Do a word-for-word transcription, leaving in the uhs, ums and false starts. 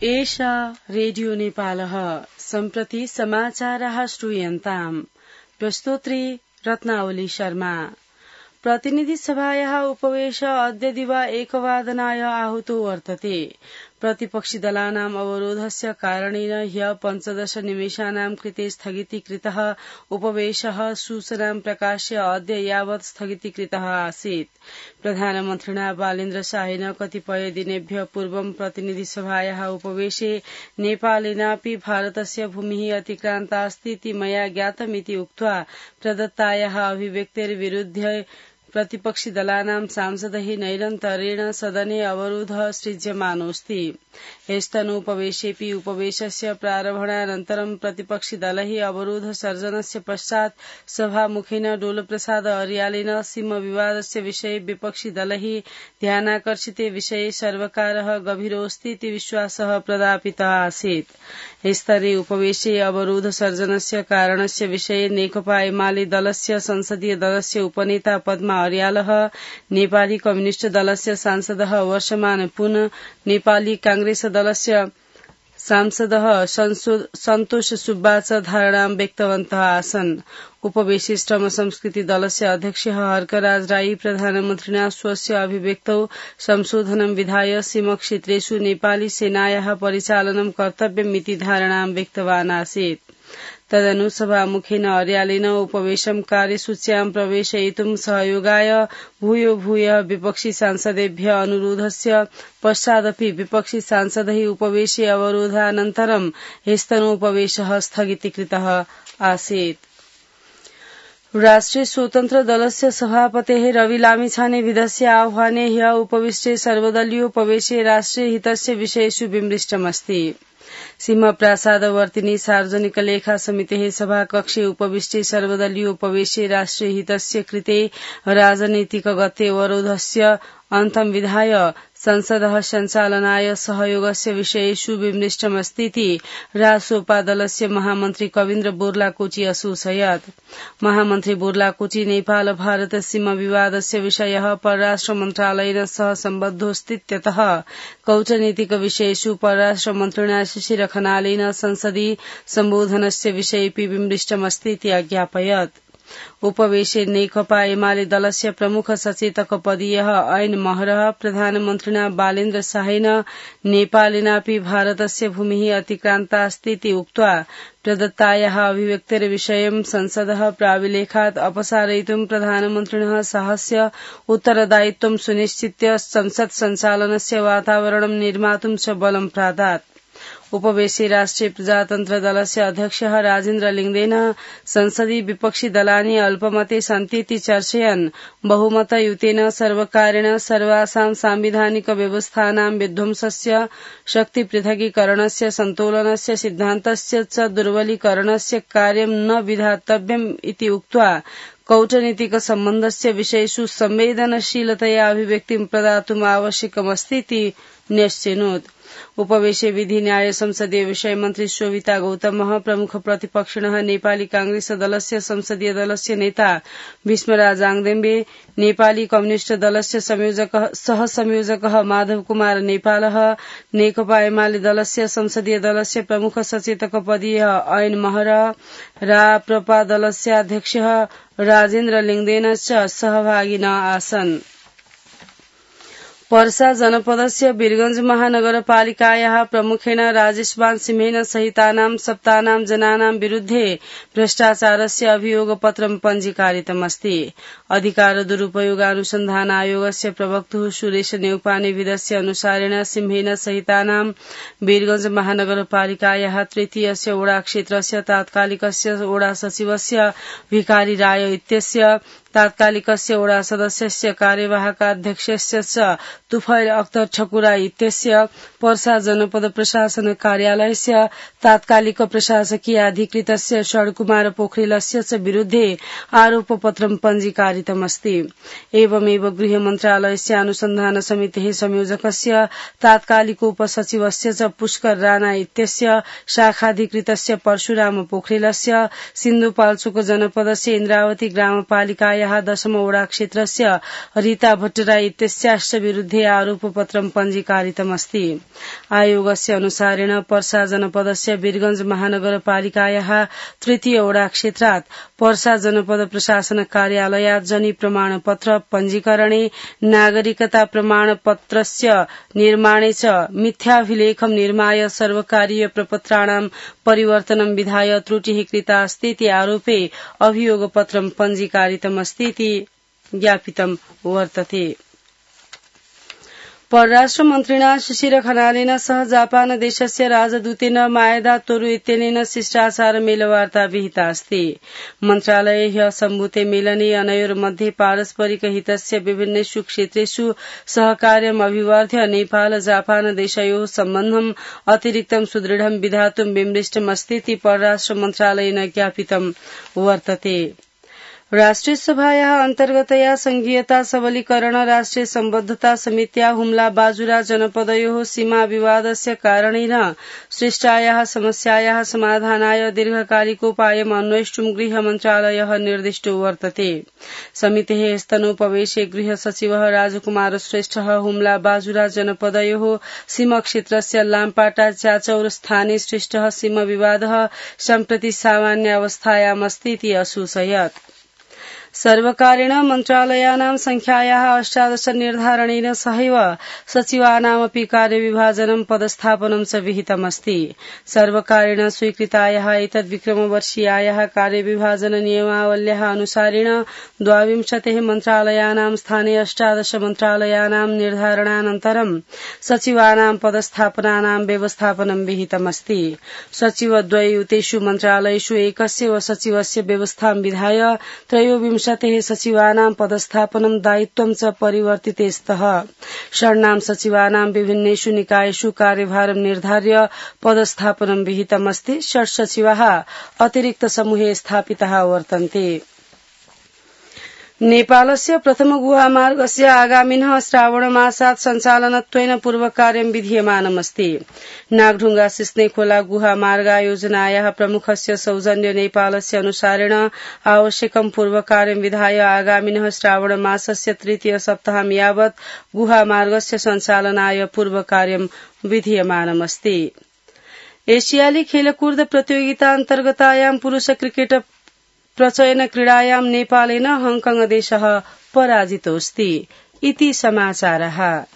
एषा रेडियो नेपालः सम्प्रति समाचारः श्रूयन्ताम्। प्रस्तोत्री रत्नावली शर्मा। प्रतिनिधि सभायाः उपवेश अद्य दिवा एकवादनाय आहूतो वर्तते। प्रतिपक्षि दलानाम् अवरोधस्य कारणेन ह्य पञ्चदश निमेषानां कृते स्थगितीकृतः उपवेशः सूचनां प्रकाश्य अद्य यावत् स्थगितीकृतः आसीत्। प्रधानमन्त्रिणा बालेन्द्र शाहेन कतिपय दिनेभ्यः पूर्वं प्रतिनिधि सभायाः उपवेशे नेपालेनापि भारतस्य भूमिः अतिक्रान्तास्ति इति मया ज्ञातमिति उक्त्वा प्रदत्तायाः अभिव्यक्तेर्विरुध्य प्रतिपक्षि दलानां सांसदैः नैरन्तर्येण सदने अवरोधः सृज्यमानोऽस्ति। ह्यस्तनोपवेशेऽपि उपवेशस्य प्रारम्भानन्तरं प्रतिपक्षि दलैः अवरोध सर्जनस्य पश्चात् सभामुखेन डोलप्रसाद अर्यालेन सीमा विवादस्य विषये विपक्षि दलैः ध्यानाकर्षिते विषये सर्वकारः गभीरोऽस्ति इति विश्वासः प्रदापितः आसीत्। स्तरे उपवेशे अवरोध सर्जनस्य कारणस्य विषये नेकपा एमाले दलस्य संसदीय दलस्य उपनेता पद्मा अर्यालः, नेपाली कम्युनिष्ट दलस्य सांसदः वर्षमान पुन, नेपाली कांग्रेस दलस्य सांसदः सन्तोष सुब्बा च धारणां व्यक्तवन्तः आसन्। उपवेशे श्रम संस्कृति दलस्य अध्यक्ष हर्कराज राई प्रधानमन्त्रिणा स्वस्य अभिव्यक्तौ संशोधनं विधाय सीमक्षेत्रेषु नेपाली सेनायाः परिचालनं कर्तव्यमिति धारणां व्यक्तवान् आसीत्। तदनु सभामुखेन अर्यालेन उपवेशं कार्यसूच्यां प्रवेशयितुं सहयोगाय भूयो भूयः विपक्षी सांसदेभ्यः अनुरोधस्य पश्चादपि विपक्षी सांसदैः उपवेशे अवरोधानन्तरं ह्यस्तनोपवेशः स्थगितीकृतः आसीत्। राष्ट्रिय स्वतन्त्र दलस्य सभापतेः रवि लामिछानेविधस्य आह्वाने ह्यः उपविष्टे सर्वदलीयोपवेशे राष्ट्रिय हितस्य विषयेषु विमृष्टमस्ति। सीमा प्रासादवर्तिनी सार्वजनिक लेखा समितेः सभाकक्षे उपविष्टे सर्वदलीयोपवेशे राष्ट्रिय हितस्य कृते राजनीतिक गते अवरोधस्य अन्तं विधाय संसदः सञ्चालनाय सहयोगस्य विषयेषु विमृष्टमस्तीति रासोपा दलस्य महामन्त्री कविन्द्र बोर्लाकोची असूचयत्। महामन्त्री बोर्लाकोची नेपाल भारत सीमा विवादस्य विषयः परराष्ट्र मन्त्रालयेन सह सम्बद्धोऽस्तीत्यतः कौटनीतिक विषयेषु परराष्ट्र मन्त्रिणा शिशिर खनालेन संसदि सम्बोधनस्य विषयेऽपि विमृष्टमस्तीति अज्ञापयत्। उपवेशे नेकपा एमाले दलस्य प्रमुख सचेतक पदीयः ऐन महरः प्रधानमन्त्रिणा बालेन्द्र शाहेन नेपालेनापि भारतस्य भूमिः अतिक्रान्तास्ति इति उक्त्वा प्रदत्तायाः अभिव्यक्तेर्विषयं संसदः प्राविलेखात् अपसारयितुं प्रधानमन्त्रिणः शाहस्य उत्तरदायित्वं सुनिश्चित्य संसत् सञ्चालनस्य वातावरणं निर्मातुं च बलं प्रादात्। उपवेशे राष्ट्रिय प्रजातन्त्र दलस्य अध्यक्षः राजेन्द्र लिङ्गदेन संसदि विपक्षी दलानि अल्पमते सन्तीति चर्चयन् बहुमतयुतेन सर्वकारेण सर्वासां सांविधानिक व्यवस्थानां विध्वंसस्य शक्तिपृथकीकरणस्य सन्तोलनस्य सिद्धान्तस्य च दुर्बलीकरणस्य कार्यं न विधातव्यम् इति उक्त्वा कौटनीतिक सम्बन्धस्य विषयेषु संवेदनशीलतया अभिव्यक्तिं प्रदातुम् आवश्यकमस्तीति न्यश्चिनोत्। उपवेशे विधि न्याय संसदीय विषय मन्त्री शोभिता गौतमः, प्रमुख प्रतिपक्षिणः नेपाली कांग्रेस दलस्य संसदीय दलस्य नेता भीष्मराज आङदेम्बे, नेपाली कम्युनिष्ट दलस्य संयोजकः सह संयोजकः माधव कुमार नेपालः, नेकपा एमाले दलस्य संसदीय दलस्य प्रमुख सचेतक पदीयः ऐन महरः, राप्रपा दलस्य अध्यक्षः राजेन्द्र लिङ्गदेन च सहभागिनः आसन्। पर्सा जनपदस्य वीरगंज महानगरपालिकायाः प्रमुखेन राजेशवान सिंहेन सहितानां सप्तानां जनानां विरुद्धे भ्रष्टाचारस्य अभियोगपत्रं पञ्जीकारितमस्ति। अधिकार दुरुपयोग अनुसन्धान आयोगस्य प्रवक्तुः सुरेश नेउपानेविधस्य अनुसारेण सिंहेन सहितानां वीरगंज महानगरपालिकायाः तृतीयस्य ओडा क्षेत्रस्य तात्कालिकस्य ओडा सचिवस्य भिखारी राय इत्यस्य, तात्कालिकस्य ओडा सदस्यस्य कार्यवाहकाध्यक्षस्य च तुफैल अख्तर ठकुरा इत्यस्य, पर्सा जनपद प्रशासन कार्यालयस्य तात्कालिक प्रशासकीय अधिकृतस्य षड्कुमार पोखरेलस्य च विरुद्धे आरोपपत्रं पञ्जीकारितमस्ति। एवमेव गृह मन्त्रालयस्य अनुसन्धान समितेः संयोजकस्य तात्कालिकोपसचिवस्य च पुष्कर राणा इत्यस्य, शाखाधिकृतस्य परशुराम पोखरेलस्य, सिन्धुपाल्चोक जनपदस्य इन्द्रावती ग्रामपालिकायाः पालिकायाः दशमवडा क्षेत्रस्य रीता भट्टराई इत्यस्याश्च विरुद्धे आरोपपत्रं पञ्जीकारितमस्ति। आयोगस्य अनुसारेण पर्सा जनपदस्य वीरगंज महानगरपालिकायाः तृतीय वडा क्षेत्रात् पर्सा जनपद प्रशासन कार्यालयात् जनि प्रमाणपत्र पञ्जीकरणे नागरिकता प्रमाणपत्रस्य निर्माणे च मिथ्याभिलेखं निर्माय सर्वकारीय प्रपत्राणां परिवर्तनं विधाय त्रुटिः कृता अस्ति इति आरोपे अभियोगपत्रं पञ्जीकारितमस्ति इति ज्ञापितं वर्तते। परराष्ट्र मन्त्रिणा शिशिर खनालेन सह जापान देशस्य राजदूतेन मायदा तोरु इत्यनेन शिष्टाचार मेलवार्ता विहिता अस्ति। मन्त्रालये ह्यः सम्भूते मेलने अनयोर्मध्ये पारस्परिक हितस्य विभिन्नेषु क्षेत्रेषु सहकार्यम् अभिवर्ध्य नेपाल जापान देशयोः सम्बन्धम् अतिरिक्तं सुदृढं विधातुं विमृष्टमस्ति इति परराष्ट्र मन्त्रालयेन ज्ञापितं वर्तते। राष्ट्रिय सभायाः अन्तर्गतया संघीयता सबलीकरण राष्ट्रिय सम्बद्धता समित्या हुम्ला बाजुरा जनपदयोः सीमा विवादस्य कारणेन सृष्टायाः समस्यायाः समाधानाय दीर्घकालिकोपायम् अन्वेष्टुं गृह मन्त्रालयः निर्दिष्टो वर्तते। समितेः स्तनोपवेशे गृह सचिवः राजकुमार श्रेष्ठः हुम्ला बाजुरा जनपदयोः सीमक्षेत्रस्य लामपाटा च्याचौर स्थाने सृष्टः सीम विवादः सम्प्रति सामान्यावस्थायामस्ति इति असूचयत्। सर्वकारेण मन्त्रालयानां संख्यायाः अष्टादश निर्धारणेन सहैव सचिवानामपि कार्यविभाजनं पदस्थापनं च विहितमस्ति। सर्वकारेण स्वीकृतायाः एतद् विक्रमवर्षीयायाः कार्यविभाजन नियमावल्याः अनुसारेण द्वाविंशतिः मन्त्रालयानां स्थाने अष्टादश मन्त्रालयानां निर्धारणानन्तरं सचिवानां पदस्थापनानां व्यवस्थापनं विहितमस्ति। सचिवद्वययुतेषु मन्त्रालयेषु एकस्यैव सचिवस्य व्यवस्थां विधाय त्रयोविंश सचिवानां पदस्थापनं दायित्वं च परिवर्तिते स्तः। षण्णां सचिवानां विभिन्नेषु निकायेषु कार्यभारं निर्धार्य पदस्थापनं विहितमस्ति। षट् सचिवाः अतिरिक्त समूहे स्थापिताः वर्तन्ते। नेपालस्य प्रथम गुहामार्गस्य आगामिनः श्रावणमासात् सञ्चालनत्वेन पूर्वकार्यं विधीयमानमस्ति। नागढुङ्गा सिस्नेखोला गुहामार्गायोजनायाः प्रमुखस्य सौजन्य नेपालस्य अनुसारेण आवश्यकं पूर्वकार्यं विधाय आगामिनः श्रावणमासस्य तृतीय सप्ताहं यावत् गुहामार्गस्य सञ्चालनाय पूर्वकार्यं विधीयमानमस्ति। एशियाली खेलकूद प्रतियोगितान्तर्गतायां पुरुष क्रिकेट प्रचयन क्रीडायां नेपालेन हांगकांग देशः पराजितोऽस्ति। इति समाचारः।